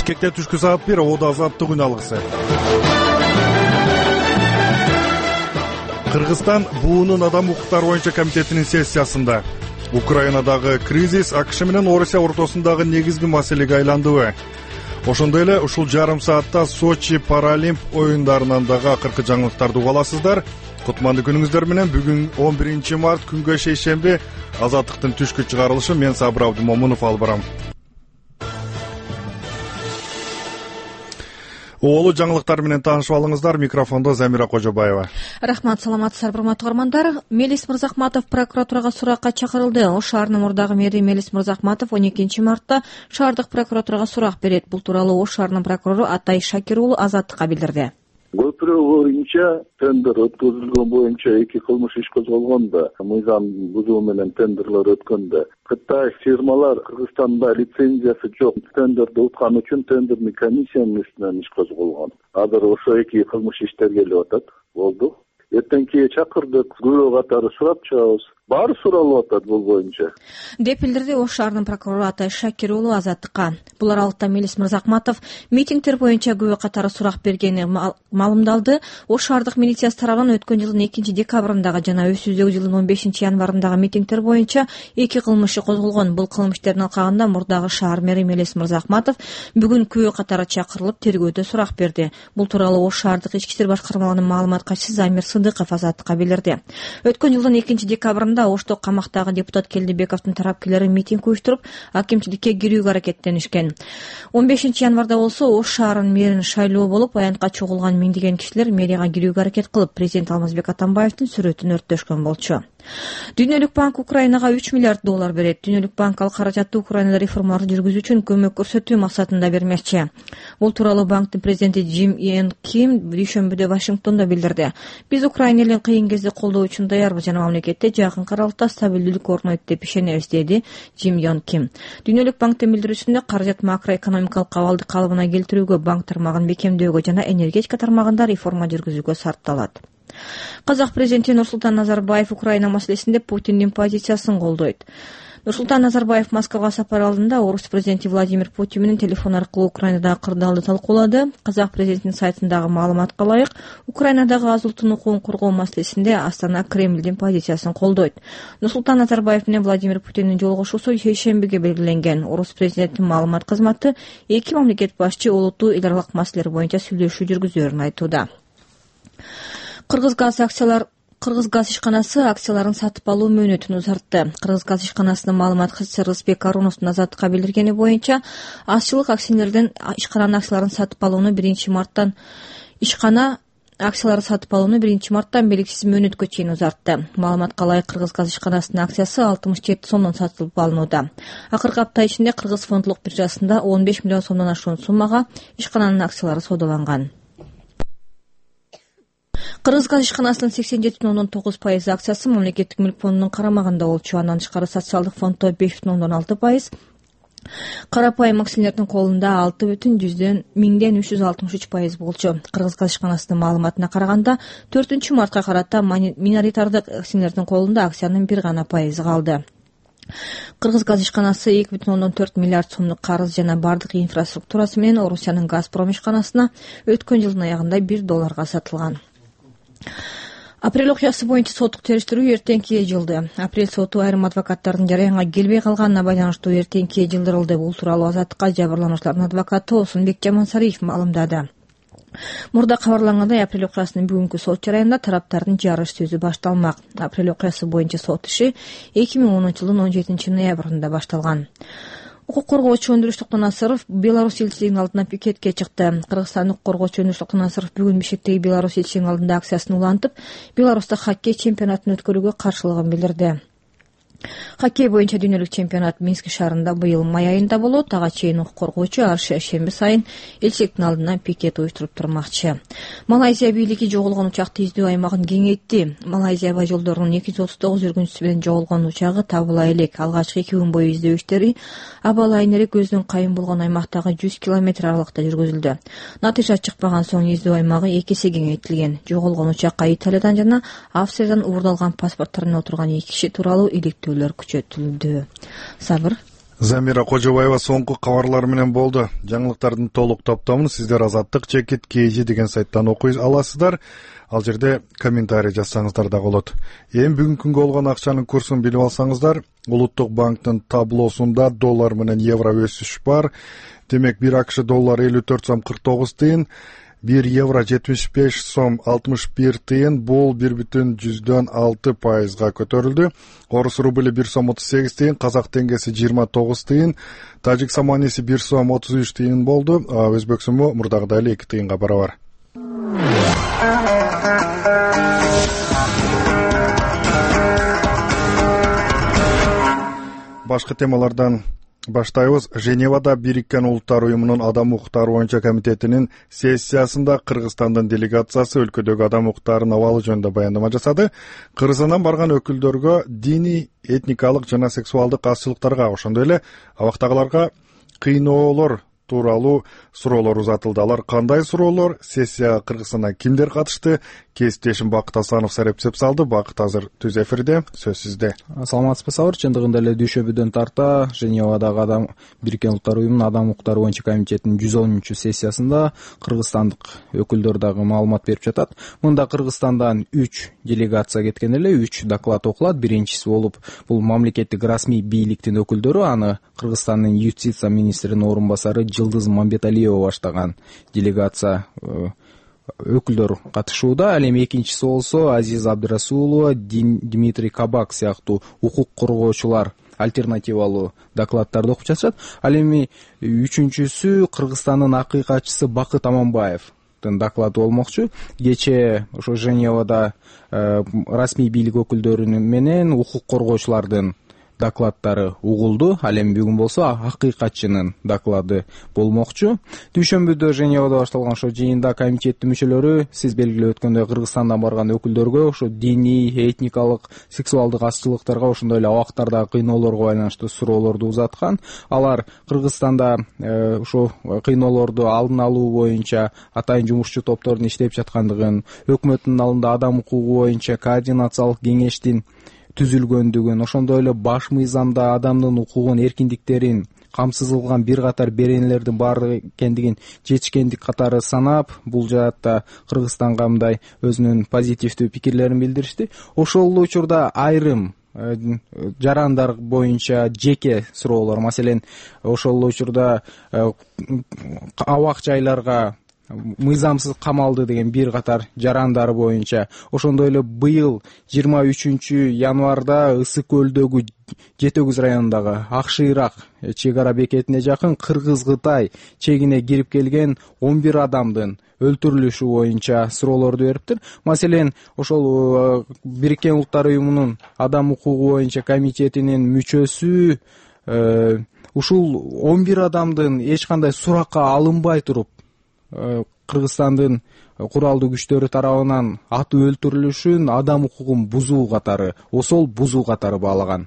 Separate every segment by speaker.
Speaker 1: Бишкекте түшкү саат 1 Оодо азаттык күн алгысы. Кыргызстан буунун адам укуктары боюнча комитетинин сессиясында Украинадагы кризис АКШ менен Орусия ортосундагы негизги маселеге айландыбы? Ошондой эле ушул жарым саатта Сочи Паралимп оюндарынан дагы акыркы жаңылыктарды уга аласыздар. Кутмандуу күнүңүздөр менен бүгүн 11 март күнгө шейшемби Азаттыктын түшкү чыгарылышы. Мен Сабыр Абдымомунов алып барам. Оолу жаңылыктар менен таанышып алыңыздар. Микрофондо Замира Кожобаева.
Speaker 2: Рахмат, саламатсыздарбы урматтуу угармандар. Мелис Мырзахматов прокуратурага суракка чакырылды. Ош шаарынын мурдагы мэри Мелис Мырзахматов 12 мартта шаардык прокуратурага сурак берет. Бул тууралуу Ош шаарынын прокурору Атай Шакир уулу Азаттыкка билдирди.
Speaker 3: Көпүрө боюнча тендер өткөзүлгөн боюнча 2 кылмыш иш козголгондо, мыйзам бузуу менен тендерлер өткөндө Кытай фирмалар Кыргызстанда лицензиясы жок тендерди уткан үчүн тендерный комиссиянын үстүнөн иш козголгон. Азыр ошо 2 кылмыш иштер келип атат. Болду. Эртеңки чакырдык, күбө катары сурап чыгабыз. Баары суралып атат бул боюнча,
Speaker 2: деп билдирди Ош шаарынын прокурору Атай Шакир уулу Азаттыкка. Бул аралыкта Мелис Мырзахматов митингдер боюнча күбө катары сурак бергени маалымдалды. Ош шаардык милициясы тарабынан өткөн жылдын 2 декабрындагы жана өсүүздөгү жылдын 15 январындагы митингдер боюнча 2 кылмыш козголгон. Бул кылмыштердин алкагында мурдагы шаар мэри Мелис Мырзахматов бүгүн күбө катары чакырылып тергөөдө сурак берди. Бул тууралуу Ош шаардык ички иштер башкармалыгынын маалымат катчысы Замир Сыдыков Азаттыкка билдирди. Өткөн жылдын 2 декабрында Ошто камактагы депутат Келдибековдун тарапкерлери митинг уюштуруп, акимчиликке кирүүгө аракеттенишкен. 15 январда болсо Ош шаарынын мэрин шайлоо болуп, аянтка чогулган миңдеген кишилер мэрияга кирүүгө аракет кылып, президент Алмазбек Атамбаевдин сүрөтүн өрттөшкөн болчу. Дүйнөлүк банк Украинага 3 миллиард доллар берет. Дүйнөлүк банк ал каражатты Украинада реформалар жүргүзүү үчүн көмөк көрсөтүү максатында бермекчи. Бул тууралуу банктын президенти Джим Йон Ким дүйшөмбүдө Вашингтондо билдирди. Биз Украина элин кыйын кезде колдоо үчүн даярбыз жана мамлекетте жакын аралыкта стабилдүүлүк орнойт деп ишенебиз, деди Джим Йон Ким. Дүйнөлүк банктын билдирүүсүндө каражат макроэкономикалык абалды калыбына келтирүүгө, банк тармагын бекемдөөгө жана энергетика тармагында реформа жүргүзүүгө сарпталат. Казак президенти Нурсултан Назарбаев Украина маселесинде Путиндин позициясын колдойт. Нурсултан Назарбаев Москвага сапар алдында Орус президенти Владимир Путин менен телефон аркылуу Украинадагы кырдаалды талкуулады. Казак президентинин сайтындагы маалыматка ылайык, Украинадагы аз улуттун укугун коргоо маселесинде Астана Кремлдин позициясын колдойт. Нурсултан Назарбаев менен Владимир Путиндин жолугушуусу шейшембиге белгиленген. Орус президентинин маалымат кызматы 2 мамлекет башчы олуттуу эл аралык маселелер боюнча сүйлөшүү жүргүзөөрүн айтууда. Кыргыз газ ишканасы акцияларын сатып алуу мөөнөтүн узартты. Кыргыз газ ишканасынын маалымат катчысы Рызбек Аруновдун Азаттыкка билдиргени боюнча, азчылык акционердин ишкананын акцияларын сатып алууну 1 марттан белгисиз мөөнөткө чейин узартты. Маалыматка ылайык, Кыргыз газ ишканасынын акциясы 67 сомдон сатылып алынууда. Акыркы апта ичинде Кыргыз фондулук биржасында 15 миллион сомдон ашуун суммага ишкананын акциялары саудаланган. Кыргыз газ ишканасынын 87,9% акциясы мамлекеттик мүлк фондунун карамагында болчу. Андан тышкары социалдык фонддо 5,6%, карапайым акционердин колунда 6,363% болчу. Кыргыз газ ишканасынын маалыматына караганда 4 мартка карата миноритардык акционердин колунда акциянын 1 гана пайызы калды. Кыргыз газ ишканасы 2,4 миллиард сомдук карыз жана бардык инфраструктурасы менен Орусиянын Газпром ишканасына өткөн жылдын аягында $1 сатылган. Апрель окуясы боюнча соттук териштирүү эртеңки жылды. Апрель соту айрым адвокаттардын жараянга келбей калганына байланыштуу эртеңки жылдырылды. Бул тууралуу Азаттыкка жабырлануучулардын адвокаты Осунбек Жамансариев маалымдады. Мурда кабарлангандай, апрель окуясынын бүгүнкү сот жараянда тараптардын жарыш сөзү башталмак. Апрель окуясы боюнча сот иши 2010-жылдын 17 ноябрында башталган. Укук коргоочу Өндүрүш Токтонасыров Беларусь элчилигинин алдына пикетке чыкты. Кыргызстандык коргоочу Өндүрүш Токтонасыров бүгүн Бишкектеги Беларусь элчилигинин алдында акциясын улантып, Беларуста хоккей чемпионатын өткөрүүгө каршылыгын билдирди. Хоккей боюнча дүйнөлүк чемпионат Минск шаарында быйыл май айында болот. Ага чейин укук коргоочу ар шемби сайын элчиликтин алдына пикет уюштуруп турмакчы. Малайзия бийлиги жоголгон учакты издөө аймагын кеңейтти. Малайзия аба жолдорунун 239 жүргүнчүсү менен жоголгон учагы табыла элек. Алгачкы 2 күн бою издөө иштери аба лайнери көздөн кайын болгон аймактагы 100 километр аралыкта жүргүзүлдү. Натыйжа чыкпаган соң издөө аймагы 2 эсе кеңейтилген. Жоголгон учакка Италиядан жана Австриядан уурдалган паспорттор менен отурган 2 киши тууралуу иликтөөлөр күчөтүлдү. Сабыр.
Speaker 1: Замира Кожобаева соңку кабарлар менен болду. Жаңылыктардын толук топтомун сиздер Азаттык чекит KG деген сайттан окуй аласыздар. Ал жерде комментарий жазсаңыздар да болот. Эми бүгүнкү күнгө болгон акчанын курсун билип алсаңыздар, Улуттук банктын таблосунда доллар менен евро өсүш бар. Демек 1 АКШ доллары 54 сом 49 тыйын, 1 евро 75 сом 61 тыйын, бул 1,6% көтөрүлдү. Орус рубли 1 сом 38 тыйын, казак теңгеси 29 тыйын, тажик саманиси 1 сом 33 тыйын болду. Өзбек суму мурдагыдай эле 2 тыйынга барабар. Башка темалардан баштайбыз. Женевада Бириккен Улуттар уюмунун адам укуктары боюнча комитетинин сессиясында Кыргызстандын делегациясы өлкөдөгү адам укуктарынын абалы жөнүндө баяндама жасады. Кыргызстандан барган өкүлдөргө диний, этникалык жана сексуалдык азчылыктарга, ошондой эле абактагыларга кыйноолор тууралуу суроолор узатылды. Алар кандай суроолор? Сессияга Кыргызстандан кимдер катышты? Кесиптешим Бакыт Асанов сарепсеп салды. Бакыт азыр түз эфирде, сөз сизде.
Speaker 4: Саламатсызбы Сабыр? Чындыгында эле дүйшөбүдөн тарта Женевадагы Бириккен Улуттар уюмунун адам укуктары боюнча комитетинин 110 сессиясында кыргызстандык өкүлдөр дагы маалымат берип жатат. Мында Кыргызстандан 3 делегация кеткен эле, 3 доклад окулат. Биринчиси болуп бул мамлекеттик расмий бийликтин өкүлдөрү, аны Кыргызстандын юстиция министринин орун басары Жылдыз Мамбеталиева баштаган делегация өкүлдөр катышууда. Ал эми экинчиси болсо Азиз Абдырасулова, Дмитрий Кабак сыяктуу укук коргоочулар альтернативалуу докладдарды окуп жатышат. Ал эми үчүнчүсү Кыргызстандын акыйкатчысы Бакыт Аманбаевдин доклады болмокчу. Кечээ ошо Женевада расмий бийлик өкүлдөрү менен укук коргоочулардын докладдары угулду. Ал эми бүгүн болсо акыйкатчынын доклады болмокчу. Дүйшөмбүдө Женевада башталган ошо жыйында комитеттин мүчөлөрү сиз белгилеп өткөндөй Кыргызстандан барган өкүлдөргө ошо диний, этникалык, сексуалдык азчылыктарга, ошондой эле абактардагы кыйноолорго байланыштуу суроолорду узаткан. Алар Кыргызстанда ошо кыйноолорду алдын алуу боюнча атайын жумушчу топтордун иштеп жаткандыгын, өкмөттүн алдында адам укугу боюнча координациялык кеңештин түзүлгөндүгүн, ошондой эле баш мыйзамда адамдын укугун, эркиндиктерин камсыз кылган бир катар беренелердин баары экендигин жетишкендик катары санап, бул жаатта Кыргызстанга мындай өзүнүн позитивдүү пикирлерин билдиришти. Ошол эле учурда айрым жарандар боюнча жеке суроолор, маселен, ошол эле учурда абак жайларга мыйзамсыз камалды деген бир катар жарандар боюнча, ошондой эле быйыл 23 январда Ысык көлдөгү Жетөгүз районундагы Акшыйрак чек ара бекетине жакын Кыргыз-Кытай чегине кирип келген 11 адамдын өлтүрүлүшү боюнча суроолорду бериптир. Маселен, ошол Бириккен Улуттар уюмунун адам укугу боюнча комитетинин мүчөсү ушул 11 адамдын эч кандай суракка алынбай туруп Кыргызстандын куралдуу күчтөрү тарабынан атып өлтүрүлүшүн адам укугун бузуу катары, осол бузуу катары баалаган.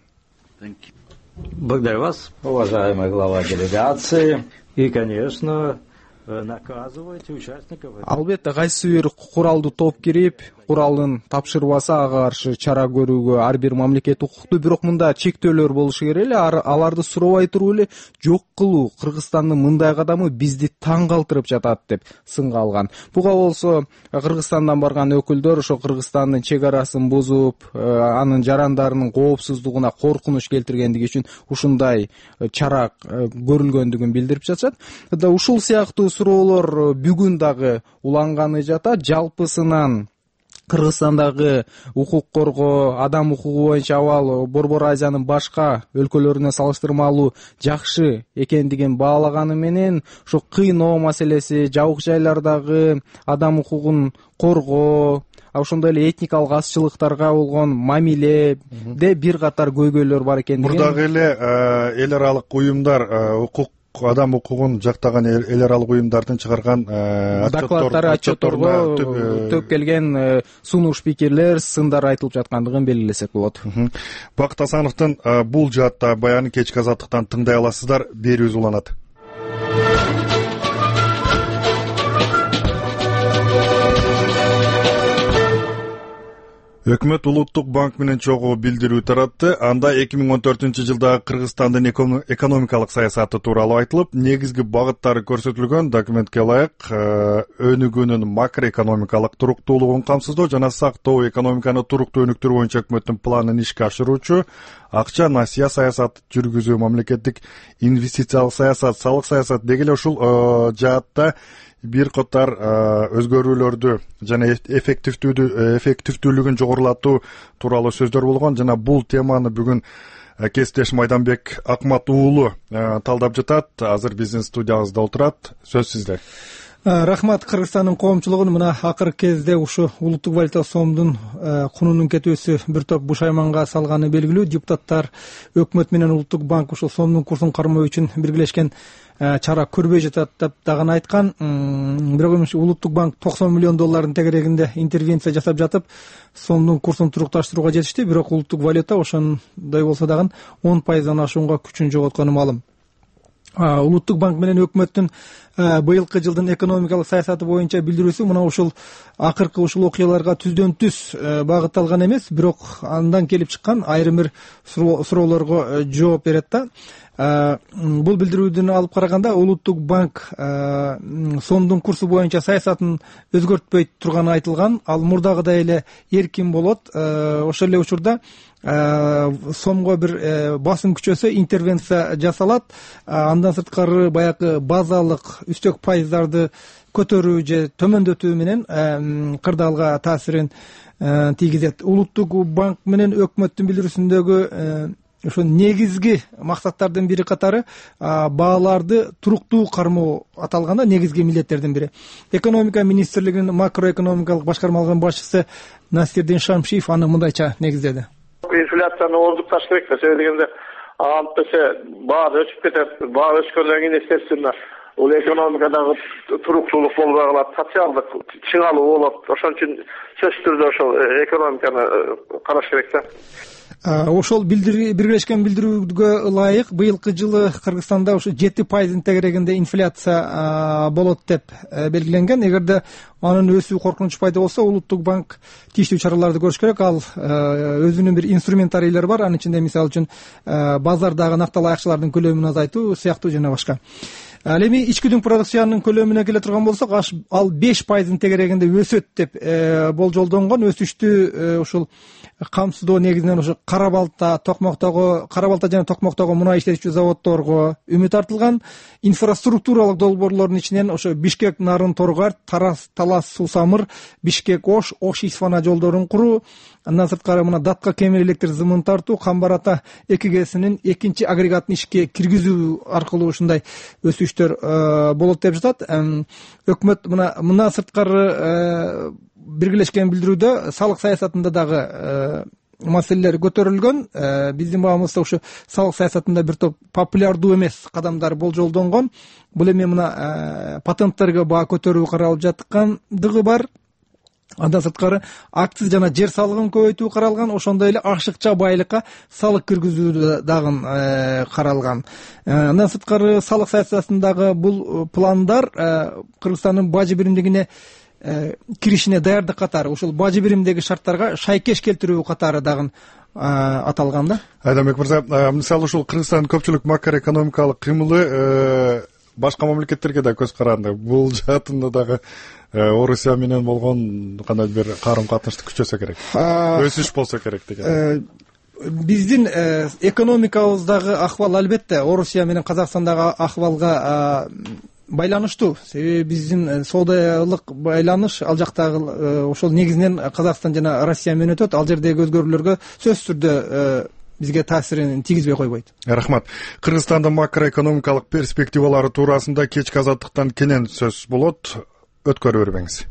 Speaker 5: Благодарю вас, уважаемый глава делегации. И, конечно, наказывайте участников.
Speaker 4: Албетте, кайсы бир куралдуу топ кирип, куралын тапшырбаса ага каршы чара көрүүгө ар бир мамлекет укуктуу. Бирок мында чектөөлөр болушу керек эле, аларды суробай туруп эле жок кылуу Кыргызстандын мындай кадамы бизди таң калтырып жатат деп сынга алган. Буга болсо Кыргызстандан барган өкүлдөр ошо Кыргызстандын чек арасын бузуп, анын жарандарынын коопсуздугуна коркунуч келтиргендиги үчүн ушундай чара көрүлгөндүгүн билдирип жатышат. Ушул сыяктуу суроолор бүгүн дагы уланганы жатат. Жалпысынан Кыргызстандагы укук коргоо, адам укугу боюнча абал Борбор Азиянын башка өлкөлөрүнө салыштырмалуу жакшы экендигин баалаганы менен, ошо кыйноо маселеси, жабык жайлардагы адам укугун коргоо, ошондой эле этникалык азчылыктарга болгон мамиледе бир катар көйгөйлөр бар экендигин.
Speaker 1: Мурдагы эле эл аралык уюмдар адам укугун жактаган эл аралык уюмдардын чыгарган
Speaker 4: докладдары, отчетторго төп келген сунуш пикирлер, сындар айтылып жаткандыгын белгилесек болот.
Speaker 1: Бакыт Асановдун бул жаатта баянын кечки Азаттыктан тыңдай аласыздар. Берүүбүз уланат. Өкмөт Улуттук банк менен чогуу билдирүү таратты. Анда 2014-жылдагы Кыргызстандын экономикалык саясаты тууралуу айтылып, негизги багыттары көрсөтүлгөн. Документке ылайык өнүгүүнүн макроэкономикалык туруктуулугун камсыздоо жана сактоо, экономиканы туруктуу өнүктүрүү боюнча өкмөттүн планын ишке ашыруучу, акча насыя саясаты жүргүзүү, мамлекеттик инвестициялык саясат, салык саясат деги эле ушул жаатта бир катар өзгөрүүлөрдү жана эффективдүүлүгүн жогорулатуу тууралуу сөздөр болгон. Жана бул теманы бүгүн кесиптеш Майданбек Акмат уулу талдап жатат. Азыр биздин студиябызда отурат. Сөз сизде.
Speaker 6: Рахмат. Кыргызстандын коомчулугун мына акыркы кезде ушу улуттук валюта сомдун кунунун кетүүсү бир топ бушайманга салганы белгилүү. Депутаттар өкмөт менен улуттук банк ушул сомдун курсун кармоо үчүн биргелешкен чара көрбөй жатат деп дагы айткан. Бирок улуттук банк $90 миллион тегерегинде интервенция жасап жатып, сомдун курсун турукташтырууга жетишти. Бирок улуттук валюта ошондой болсо дагы 10% ашуунга күчүн жоготкону маалым. Улуттук банк менен өкмөттүн быйылкы жылдын экономикалык саясаты боюнча билдирүүсү мына ушул акыркы ушул окуяларга түздөн түз багытталган эмес, бирок андан келип чыккан айрым бир суроолорго жооп берет да. Бул билдирүүдөн алып караганда улуттук банк сомдун курсу боюнча саясатын өзгөртпөй турганы айтылган. Ал мурдагыдай эле эркин болот. Ошол эле учурда сомго бир басым күчөсө интервенция жасалат. Андан сырткары баягы базалык үстөк пайыздарды көтөрүү же төмөндөтүү менен кырдаалга таасирин тийгизет. Улуттук банк менен өкмөттүн билдирүүсүндөгү ошо негизги максаттардын бири катары бааларды туруктуу кармоо аталганда негизги милдеттердин бири. Экономика министрлигинин макроэкономикалык башкармалыгынын башчысы Насирдин Шамшиев аны мындайча негиздеди.
Speaker 7: Инфляцияны ордукташ керек да, себеби дегенде антесе баа өсүп кетет. Баа өскөндөн кийин естественно бул экономикадагы туруктуулук болбой калат, социалдык чыңалуу болот. Ошон үчүн сөзсүз түрдө ошол экономиканы караш керек да.
Speaker 6: Ошол биргелешкен билдирүүгө ылайык быйылкы жылы Кыргызстанда ушу 7% тегерегинде инфляция болот деп белгиленген. Эгерде анын өсүү коркунучу пайда болсо, улуттук банк тийиштүү чараларды көрүш керек. Ал өзүнүн бир инструментарийлери бар. Анын ичинде мисалы үчүн базардагы накталуу акчалардын көлөмүн азайтуу сыяктуу жана башка. Ал эми ички дүң продукциянын көлөмүнө келе турган болсок, ал 5% тегерегинде өсөт деп болжолдонгон. Өсүштү ушул камсыздоо негизинен ошо кара балта жана токмоктогу мунай иштетүүчү заводдорго үмүт артылган. Инфраструктуралык долбоорлордун ичинен ошо Бишкек Нарын Торгар, Талас Сусамыр, Бишкек Ош Исфана жолдорун куруу, андан сырткары мына Датка кемер электр зымын тартуу, Камбар-Ата 2Г'синин экинчи агрегатын ишке киргизүү аркылуу ушундай өсүштөр болот деп жатат. Өкмөт мына сырткары биргелешкен билдирүүдө салык саясатында дагы маселелер көтөрүлгөн. Биздин баамызда ушу салык саясатында бир топ популярдуу эмес кадамдар болжолдонгон. Бул эми мына патенттерге баа көтөрүү каралып жаткандыгы бар. Андан сырткары акциз жана жер салыгын көбөйтүү каралган. Ошондой эле ашыкча байлыкка салык киргизүү дагы каралган. Андан сырткары салык саясатындагы бул пландар Кыргызстандын бажы биримдигине киришине даярдык катары, ушул бажы биримдеги шарттарга шайкеш келтирүү катары дагы аталган да.
Speaker 1: Айдамбек мырза, мисалы ушул Кыргызстандын көпчүлүк макроэкономикалык кыймылы башка мамлекеттерге да көз каранды. Бул жаатында дагы Орусия менен болгон кандай бир карым катнашты күчөсө керек, өсүш болсо керек деген.
Speaker 6: Биздин экономикабыздагы ахвал албетте Орусия менен Казакстандагы ахвалга байланыштуу. Себеби биздин соодаялык байланыш ал жактагы ошол негизинен Казакстан жана Россия менен өтөт. Ал жердеги өзгөрүүлөргө сөзсүз түрдө бизге таасирин тийгизбей койбойт.
Speaker 1: Рахмат. Кыргызстандын макроэкономикалык перспективалары туурасында кечки азаттыктан кенен сөз болот. Өткөрүп бербеңиз.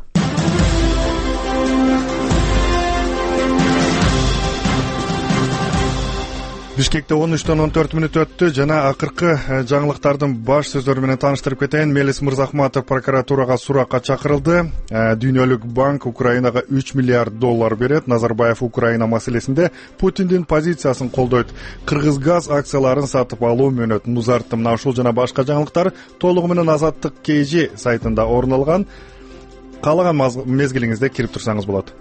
Speaker 1: Бишкекте 13-14 өттү жана акыркы жаңылыктардын баш сөздөрү менен тааныштырып кетейин. Мелис Мырзахматов прокуратурага суракка чакырылды. Дүйнөлүк банк Украинага $3 миллиард берет. Назарбаев Украина маселесинде Путиндин позициясын колдойт. Кыргызгаз акцияларын сатып алуу мөөнөтүн узартты. Мына ушул жана башка жаңылыктар толугу менен Азаттык KG сайтында орун алган. Каалаган мезгилиңизде кирип турсаңыз болот.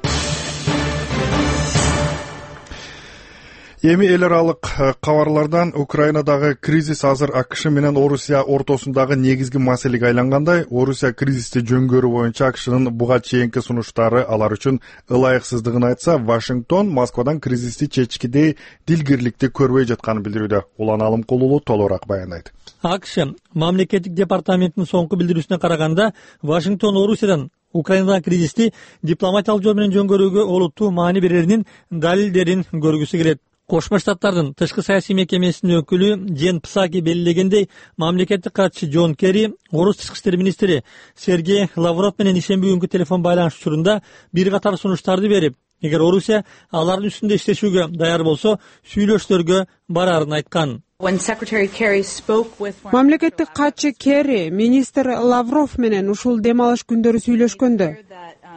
Speaker 1: Эми эл аралык кабарлардан Украинадагы кризис азыр АКШ менен Орусия ортосундагы негизги маселеге айлангандай, Орусия кризисти жөнгөрүү боюнча АКШнын буга чейинки сунуштары алар үчүн ылайыксыздыгын айтса, Вашингтон Москвадан кризисти чечкидей дилгирликти көрбөй жатканын билдирүүдө. Улан Алымкулуу толугураак баяндайт.
Speaker 8: АКШ мамлекеттик департаментинин соңку билдирүүсүнө караганда, Вашингтон Орусиядан Украинадагы кризисти дипломатиялык жол менен жөнгөрүүгө олуттуу маани береринин далилдерин көргүсү келет. Кошмо Штаттардын тышкы саясий мекемесинин өкүлү Джен Псаки белгилегендей, мамлекеттик катчы Джон Керри Орус тышкы иштер министри Сергей Лавров менен ишемби күнгү телефон байланыш учурунда бир катар сунуштарды берип, эгер Орусия алардын үстүндө иштешүүгө даяр болсо, сүйлөшүүлөргө барарын айткан.
Speaker 9: Мамлекеттик катчы Керри министр Лавров менен ушул дем алыш күндөрү сүйлөшкөндө,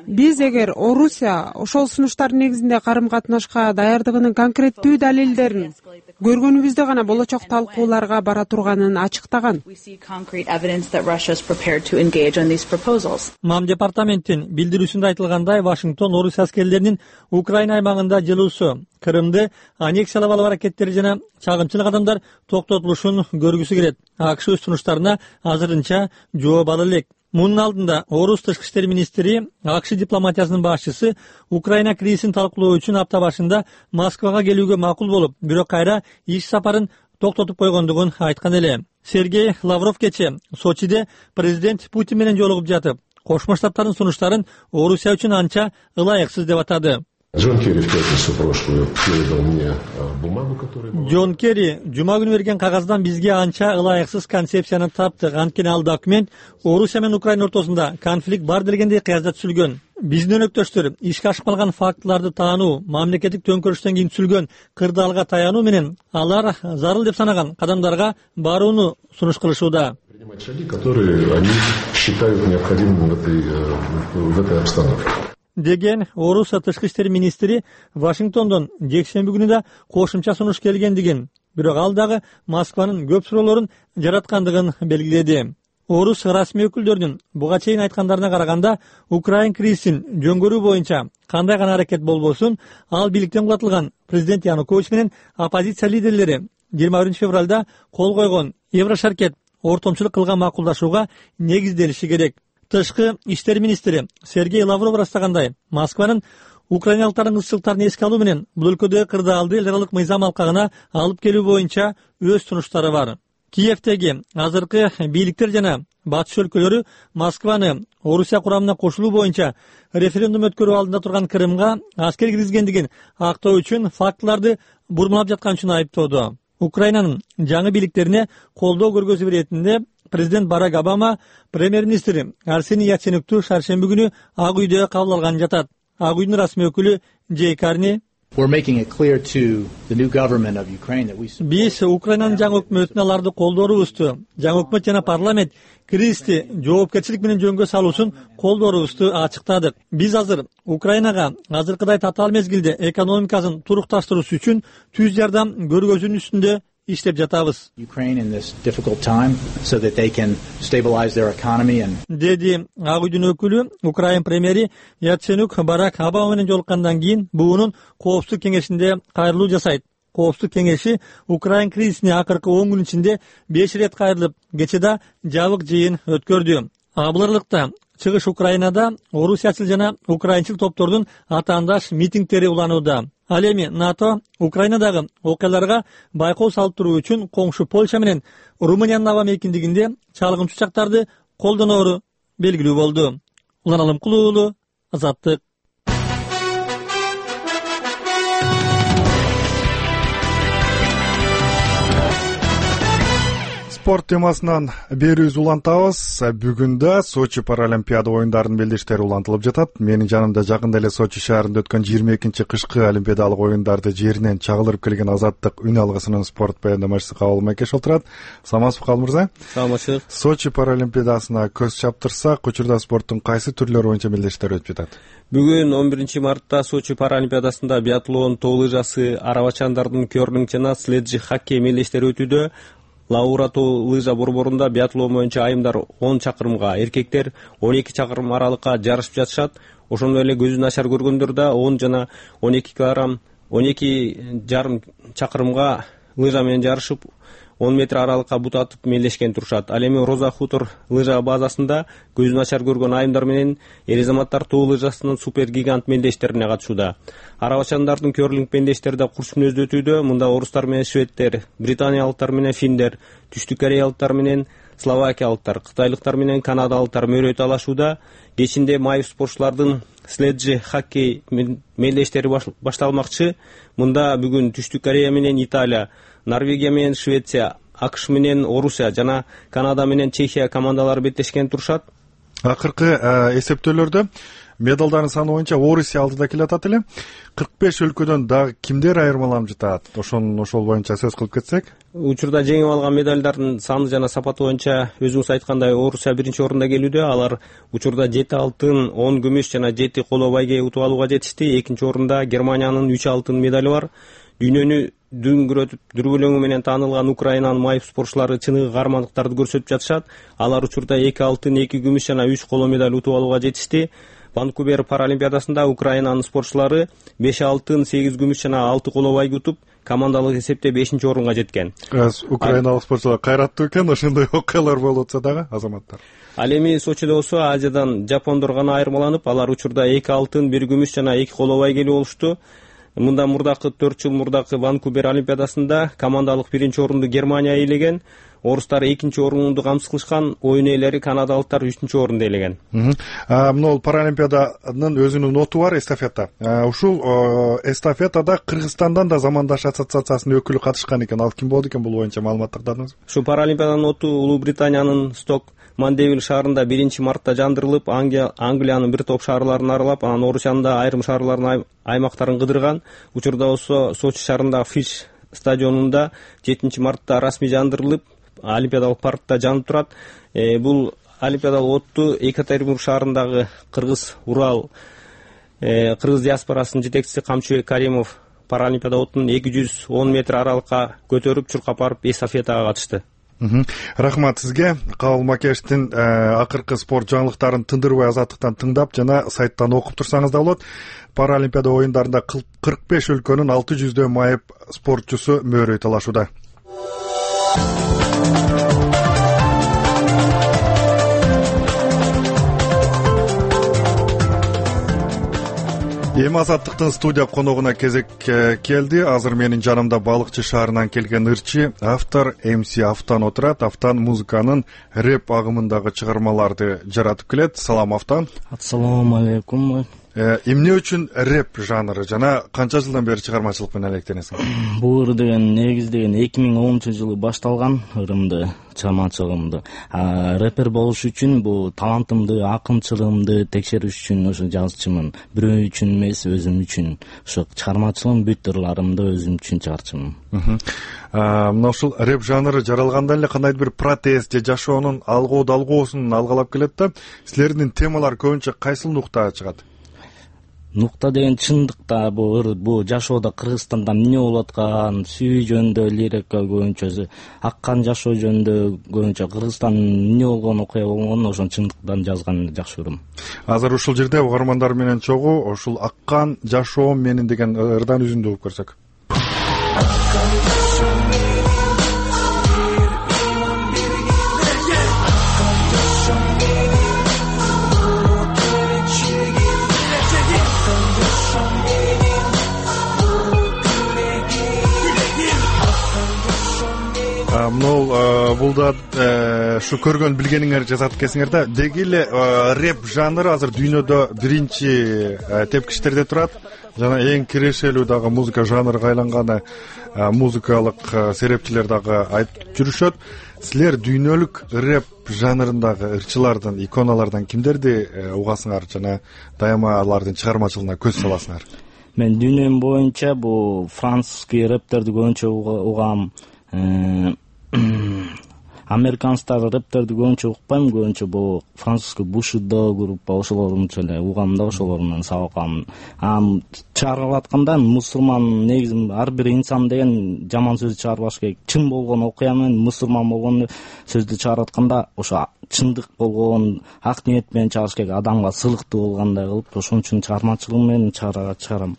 Speaker 9: биз эгер Орусия ошол сунуштардын негизинде карым катнашка даярдыгынын конкреттүү далилдерин көргөнүбүздө гана болочок талкууларга бара турганын ачыктаган.
Speaker 8: Мам департаменттин билдирүүсүндө айтылгандай, Вашингтон Орусия аскерлеринин Украина аймагында жылуусу, Крымды аннексиялап алуу аракеттери жана чагымчылык адамдар токтотулушун көргүсү келет. АКШ өз сунуштарына азырынча жооп ала элек. Мунун алдында Орус тышкы иштер министри АКШ дипломатиясынын башчысы Украина кризисин талкуулоо үчүн апта башында Москвага келүүгө макул болуп, бирок кайра иш сапарын токтотуп койгондугун айткан эле. Сергей Лавров кече Сочиде президент Путин менен жолугуп жатып, Кошмо Штаттардын сунуштарын Орусия үчүн анча ылайыксыз деп атады.
Speaker 10: Джон Керри в пятницу прошлую передал мне бумагу, которую...
Speaker 8: Джон Керри жума күнү берген кагаздан бизге анча ылайыксыз концепцияны таптык. Анткени ал документ Орусия менен Украина ортосунда конфликт бар дегендей кыязда түзүлгөн. Биздин өнөктөштөр ишке ашып калган фактыларды таануу, мамлекеттик төңкөрүштөн кийин түзүлгөн кырдаалга таянуу менен алар зарыл деп санаган кадамдарга барууну сунуш кылышууда.
Speaker 10: Принимать шаги, которые они считают необходимым в этой обстановке.
Speaker 8: Деген Орус тышкы иштер министри Вашингтондон жекшемби күнү да кошумча сунуш келгендигин, бирок ал дагы Москванын көп суроолорун жараткандыгын белгиледи. Орус расмий өкүлдөрүнүн буга чейин айткандарына караганда, Украин кризисин жөнгөрүү боюнча кандай гана аракет болбосун, ал бийликтен кулатылган президент Янукович менен оппозиция лидерлери 21 февралда кол койгон Еврошаркет ортомчулук кылган макулдашууга негизделиши керек. Тышкы иштер министри Сергей Лавров ырастагандай, Москванын украиналыктардын ысчылыктарын эске алуу менен бул өлкөдөгү кырдаалды эл аралык мыйзам алкагына алып келүү боюнча өз сунуштары бар. Киевдеги азыркы бийликтер жана батыш өлкөлөрү Москваны Орусия курамына кошулуу боюнча референдум өткөрүү алдында турган Крымга аскер киргизгендигин актоо үчүн фактыларды бурмалап жаткан үчүн айыптоодо. Украинанын жаңы бийликтерине колдоо көргөзүү иретинде президент Барак Обама премьер-министри Арсений Яценюкту шаршемби күнү Ак үйдө кабыл алган жатат. Ак үйдүн расмий өкүлү Джей Карни: Биз Украинанын жаңы өкмөтүнө аларды колдоорубузду, жаңы өкмөт жана парламент кризисти жоопкерчилик менен жөнгө салуусун колдоорубузду ачыктадык. Биз азыр Украинага азыркыдай татаал мезгилде экономикасын турукташтыруусу үчүн түз жардам көргөзүүнүн үстүндө иштеп жатабыз. Деди Ак үйдүн өкүлү. Украин премьери Яценюк Барак Обама менен жолуккандан кийин буунун коопсуздук кеңешинде кайрылуу жасайт. Коопсуздук кеңеши Украин кризисине акыркы 10 күн ичинде 5 ирет кайрылып, кече да жабык жыйын өткөрдү. Бул аралыкта чыгыш Украинада орусиячыл жана украинчыл топтордун атаандаш митингдери уланууда. Ал эми НАТО Украинадагы окуяларга байкоо салып туруу үчүн коңшу Польша менен Румыниянын аба мейкиндигинде чалгынчу учактарды колдоноору белгилүү болду. Улан Алымкулуу уулу, Азаттык.
Speaker 1: Спорт темасынан берүүбүз улантабыз. Бүгүн да Сочи паралимпиада оюндарынын белдештери улантылып жатат. Менин жанымда жакында эле Сочи шаарында өткөн 22-чи кышкы олимпиадалык оюндарды жеринен чагылдырып келген Азаттык үн алгысынын спорт баяндамачысы Кабыл Майкеш отурат. Саламатсызбы Кабыл мырза?
Speaker 11: Саламатчылык.
Speaker 1: Сочи паралимпиадасына көз чаптырсак, учурда спорттун кайсы түрлөрү боюнча белдештер өтүп жатат?
Speaker 11: Бүгүн 11 мартта Сочи паралимпиадасында биатлон, тоо лыжасы, арабачандардын кёрлинг жана следжи хоккей мелдештери өтүүдө. Лаура тоо лыжа борборунда биатлон боюнча айымдар 10 чакырымга, эркектер 12 чакырым аралыкка жарышып жатышат. Ошондой эле көзү начар көргөндөр да 10 жана 12 килограмм 12,5 чакырымга лыжа менен жарышып 10 метр аралыкка бут атып мелдешкен турушат. Ал эми Роза Хутор лыжа базасында көзү начар көргөн айымдар менен эр азаматтар тоо лыжасынын супер гигант мелдештерине катышууда. Арабачандардын көрлинг мелдештери да курч мүнөздө өтүүдө. Мында орустар менен шведтер, британиялыктар менен финдер, түштүк кореялыктар менен словакиялыктар, кытайлыктар менен канадалыктар мөрөй талашууда. Кечинде майып спортчулардын следжи хоккей мелдештери башталмакчы. Мында бүгүн Түштүк Корея менен Италия, Норвегия менен Швеция, АКШ менен Орусия жана Канада менен Чехия командалары беттешкен турушат.
Speaker 1: Акыркы эсептөөлөрдө медалдардын саны боюнча Орусия алдыда келатат эле. 45 өлкөдөн дагы кимдер айырмаланып жатат? Ошол боюнча сөз кылып кетсек.
Speaker 11: Учурда жеңип алган медалдардын саны жана сапаты боюнча өзүңүз айткандай Орусия биринчи орунда келүүдө. Алар учурда 7 алтын, 10 күмүш жана 7 коло байге утуп алууга жетишти. Экинчи орунда Германиянын 3 алтын медали бар. Дүйнөнү дүңгүрөтүп дүрбөлөңү менен таанылган Украинанын майып спортчулары чыныгы каармандыктарды көрсөтүп жатышат. Алар учурда 2 алтын, 2 күмүш жана 3 коло медаль утуп алууга жетишти. Ванкувер паралимпиадасында Украинанын спортчулары 5 алтын, 8 күмүш жана 6 коло байге утуп, командалык эсепте 5-чи орунга жеткен.
Speaker 1: Украиналык спортчулар кайраттуу экен, ошондой окуялар болуп атса дагы азаматтар.
Speaker 11: Ал эми Сочидо болсо Азиядан жапондор гана айырмаланып, алар учурда 2 алтын, 1 күмүш жана 2 коло байгелүү болушту. Мында мурдакы 4 жыл мурдакы Ванкувер олимпиадасында командалык биринчи орунду Германия ээлеген, орустар экинчи орунду камсыз кылышкан, оюн ээлери канадалыктар 3-чү орунду ээлеген.
Speaker 1: Мына паралимпиаданын өзүнүн ноту бар, эстафета. Ушул эстафетада Кыргызстандан да замандаш ассоциациясынын өкүлү катышкан экен. Ал ким болду экен бул боюнча маалымат тагдыңызбы?
Speaker 11: Ушу паралимпиаданын ноту Улуу Британиянын Сток Мандевиль шаарында 1-мартта жандырылып, Англиянын бир топ шаарларын аралап, анан Орусиянын да айрым шаарларын аймактарын кыдырган. Учурда болсо Сочи шаарындагы Фиш стадионунда 7-мартта расмий жандырылып, Олимпиадалык паркта жанып турат. Бул олимпиадалык отту Екатеринбург шаарындагы Кыргыз Урал Кыргыз диаспорасынын жетекчиси Камчыбек Каримов паралимпиада оттун 210 метр аралыкка көтөрүп, чуркап барып эстафетага катышты.
Speaker 1: Рахмат сизге. Кабыл Макештин акыркы спорт жаңылыктарын тындырбай азаттыктан тыңдап жана сайттан окуп турсаңыз да болот. Паралимпиада оюндарында 45 өлкөнүн 600 майып спортчусу мөөрөй талашууда. Эми азаттыктын студия коногуна кезек келди. Азыр менин жанымда Балыкчы шаарынан келген ырчы автор МС Автан отурат. Автан музыканын рэп агымындагы чыгармаларды жаратып келет. Салам Автан.
Speaker 12: Ассаламу алейкум.
Speaker 1: Эмне үчүн рэп жанры жана канча жылдан бери чыгармачылык менен алектенесиң?
Speaker 12: Бул ыр деген негиздеген 2010-жылы башталган ырымды, чыгармачылыгымды. Рэпер болуш үчүн бул талантымды, акынчылыгымды текшериш үчүн ошо жазчымын. Бирөө үчүн эмес, өзүм үчүн. Ошо чыгармачылыгым бүт ырларымды өзүм үчүн чыгарчымын.
Speaker 1: Мына ушул рэп жанры жаралганда эле кандайдыр бир протест же жашоонун алгуу далгоосун алгалап келет да, силердин темалар көбүнчө кайсыл нуктага чыгат?
Speaker 12: Нукта деген чындыкта бул жашоодо Кыргызстанда эмне болуп аткан, сүйүү жөнүндө лирика көбүнчөсү, аккан жашоо жөнүндө көбүнчө Кыргызстандын эмне болгон окуя болгонун ошон чындыктан жазганды жакшы көрөм.
Speaker 1: Азыр ушул жерде угармандар менен чогуу ушул аккан жашоом менин деген ырдан үзүндү угуп көрсөк. Бул да ушу көргөн билгениңер жазат экенсиңер да. Деги эле рэп жанры азыр дүйнөдө биринчи тепкичтерде турат. Жана эң кирешелүү дагы музыка жанрыга айланганы музыкалык серепчилер дагы айтып жүрүшөт. Силер дүйнөлүк рэп жанрындагы ырчылардан, иконалардан кимдерди угасыңар жана дайыма алардын чыгармачылыгына көз саласыңар?
Speaker 12: Мен дүйнөм боюнча бул французский рэптерди көбүнчө угам. Американстагы рэптерди көбүнчө укпайм, көбүнчө бул французский Бушидо группа ошолорунча эле угам да, ошолорунан сабак алам. Чыгарып атканда мусулман негизи ар бир инсан деген жаман сөз чыгарбаш керек. Чын болгон окуя менен мусулман болгон сөздү чыгарып атканда ошо чындык болгон ак ниет менен чыгарыш керек, адамга сылыктуу болгондой кылып, ошон үчүн чыгармачылыгым менен чыгарам.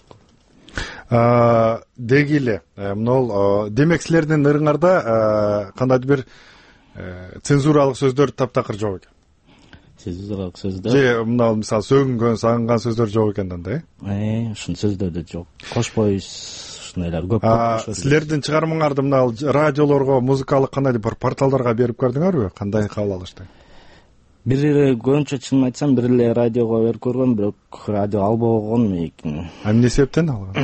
Speaker 1: деги эле могул демек силердин ырыңарда кандайдыр бир цензуралык сөздөр таптакыр жок экен.
Speaker 12: Цензуралык сөздөр
Speaker 1: же мына мисалы сөгүнгөн сагынган сөздөр жок экен да
Speaker 12: ушул сөздөрдө жок. Кошпойбуз ушундайлар көп.
Speaker 1: Силердин чыгармаңарды мына радиолорго, музыкалык кандайдыр бир порталдарга берип көрдүңөрбү? Кандай кабыл алышты?
Speaker 12: Бир эле көбүнчө чынын айтсам бир эле радиого берип көргөм, бирок радио албаган экен.
Speaker 1: Эмне себептен алган?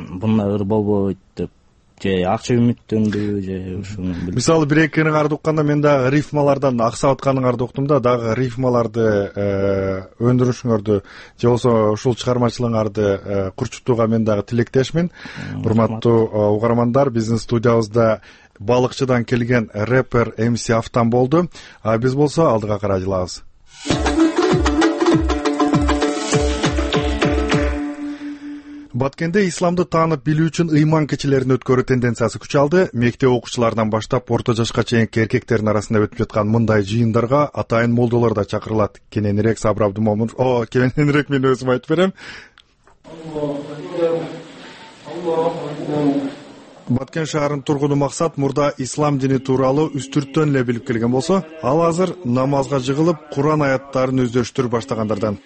Speaker 12: Мындай ыр болбойт деп же акча үмүттөндү же ушуну.
Speaker 1: Мисалы бир эки ырыңарды укканда мен дагы рифмалардан аксап атканыңарды уктум да, дагы рифмаларды өндүрүшүңөрдү же болбосо ушул чыгармачылыгыңарды курчутууга мен дагы тилектешмин. Урматтуу угармандар, биздин студиябызда балыкчыдан келген рэпер МС Автан болду. Биз болсо алдыга карай жылабыз. Баткенде исламды таанып билүү үчүн ыйман кечелерин өткөрүү тенденциясы күч алды. Мектеп окуучуларынан баштап орто жашка чейинки эркектердин арасында өтүп жаткан мындай жыйындарга атайын молдолор да чакырылат. Кененирээк Сабыр Абдумомунов, кененирээк мен өзүм айтып берем. Баткен шаарынын тургуну Максат мурда ислам дини тууралуу үстүрттөн эле билип келген болсо, ал азыр намазга жыгылып, Куран аяттарын өздөштүрүп баштагандардан.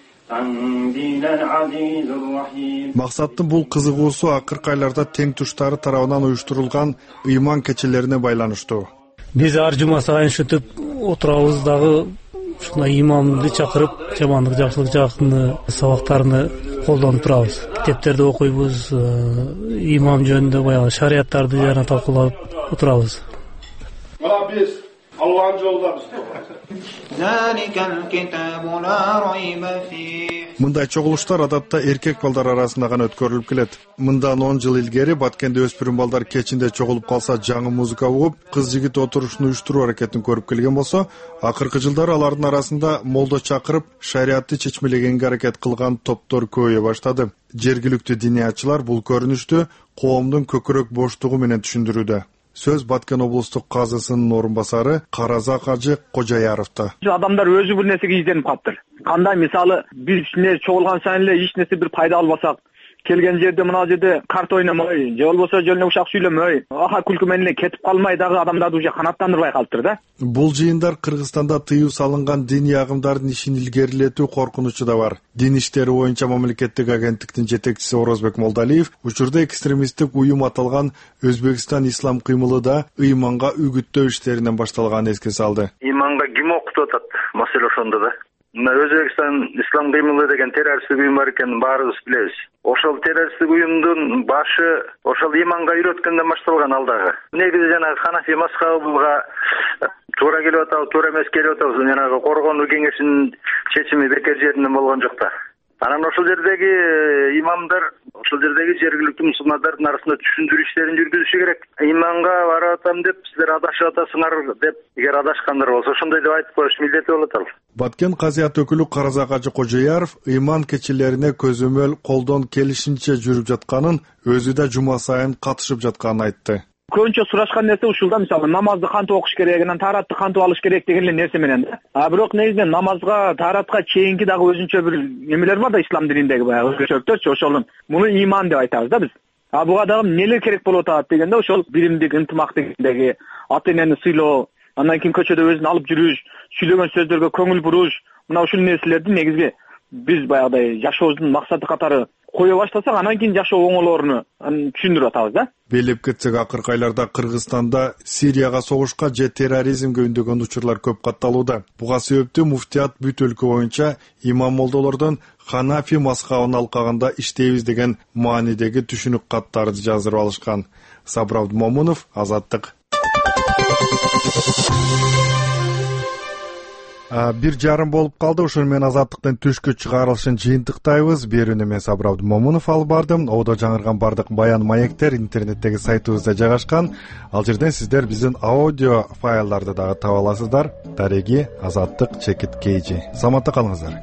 Speaker 1: Максаттын бул кызыгуусу акыркы айларда тең туштары тарабынан уюштурулган ыйман кечелерине байланыштуу.
Speaker 13: Биз ар жума сайын ушинтип отурабыз дагы ушундай имамды чакырып, жамандык жакшылык жактын сабактарыны колдонуп турабыз. Китептерди окуйбуз, имам жөнүндө баягы шарияттарды жана талкуулап отурабыз.
Speaker 14: Биз Аллахтын жолдобуз.
Speaker 1: Мындай чогулуштар адатта эркек балдар арасында гана өткөрүлүп келет. Мындан 10 жыл илгери Баткенде өспүрүм балдар кечинде чогулуп калса жаңы музыка угуп, кыз жигит отурушун уюштуруу аракетин көрүп келген болсо, акыркы жылдары алардын арасында молдо чакырып, шариятты чечмелегенге аракет кылган топтор көбөйө баштады. Жергиликтүү диниятчылар бул көрүнүштү коомдун көкүрөк боштугу менен түшүндүрүүдө. Сөз Баткен облустук казысынын орун басары Каразак ажы Кожаяровдо.
Speaker 15: Адамдар өзү бир нерсеге изденип калыптыр. Кандай мисалы биз чогулган сайын эле эч нерсе бир пайда албасак, келген жерде мына жерде карт ойномой, же болбосо жөн эле ушак сүйлөмөй, аха күлкү менен эле кетип калмай дагы адамдарды уже канааттандырбай калыптыр да. Бул
Speaker 1: жыйындар Кыргызстанда тыюу салынган диний агымдардын ишин илгерилетүү коркунучу да бар. Дин иштери боюнча мамлекеттик агенттиктин жетекчиси Орозбек Молдалиев учурда экстремисттик уюм аталган Өзбекстан ислам кыймылы да ыйманга үгүттөө иштеринен башталганын эске салды.
Speaker 16: Ыйманга ким окутуп атат? Маселе ошондо да. Өзбекстан ислам кыймылы деген террористтик уюм бар экенин баарыбыз билебиз. Ошол террористтик уюмдун башы ошол иманга үйрөткөндөн башталган ал дагы. Негизи жанагы Ханафи мазхабыга туура келип атабы, туура эмес келип атабы, жанагы коргонуу кеңешинин чечими бекер жеринен болгон жок да. Анан ошол жердеги имамдар, ошол жердеги жергиликтүү мусулмандардын арасында түшүндүрүү иштерин жүргүзүшү керек. Иманга барып атам деп, силер адашып атасыңар деп, эгер адашкандар болсо ошондой деп айтып коюш милдети болот ал.
Speaker 1: Баткен казыят өкүлү Каразак ажы Кожаяров ыйман кечелерине көзөмөл колдон келишинче жүрүп жатканын, өзү да жума сайын катышып жатканын айтты.
Speaker 15: Көбүнчө сурашкан нерсе ушул да, мисалы намазды кантип окуш керек, анан тааратты кантип алыш керек деген эле нерсе менен да. Бирок негизинен намазга, тааратка чейинки дагы өзүнчө бир эмелер бар да ислам дининдеги баягы өзгөчөлүктөрчү, ошолун муну иман деп айтабыз да биз. Буга дагы эмнелер керек болуп атат дегенде ошол биримдик, ынтымак дегендеги, ата энени сыйлоо, андан кийин көчөдө өзүн алып жүрүш, сүйлөгөн сөздөргө көңүл буруш, мына ушул нерселерди негизги биз баягыдай жашообуздун максаты катары кое баштасак, анан кийин жашоо оңолоруну түшүндүрүп атабыз да.
Speaker 1: Белип кетсек, акыркы айларда Кыргызстанда Сирияга согушка же терроризмге үндөгөн учурлар көп катталууда. Буга себептүү муфтият бүт өлкө боюнча имам молдолордон Ханафи мазхабын алкагында иштейбиз деген маанидеги түшүнүк каттарды жаздырып алышкан. Сабыр Абдумомунов, Азаттык. 1:30 болуп калды. Ошону менен Азаттыктын түшкү чыгарылышын жыйынтыктайбыз. Берүүнү мен Сабыр Абдумомунов алып бардым. Одо жаңырган бардык баян маектер интернеттеги сайтыбызда жайгашкан. Ал жерден сиздер биздин аудио файлдарды дагы таба аласыздар. Дареги Азаттык _KG. Саламатта калыңыздар.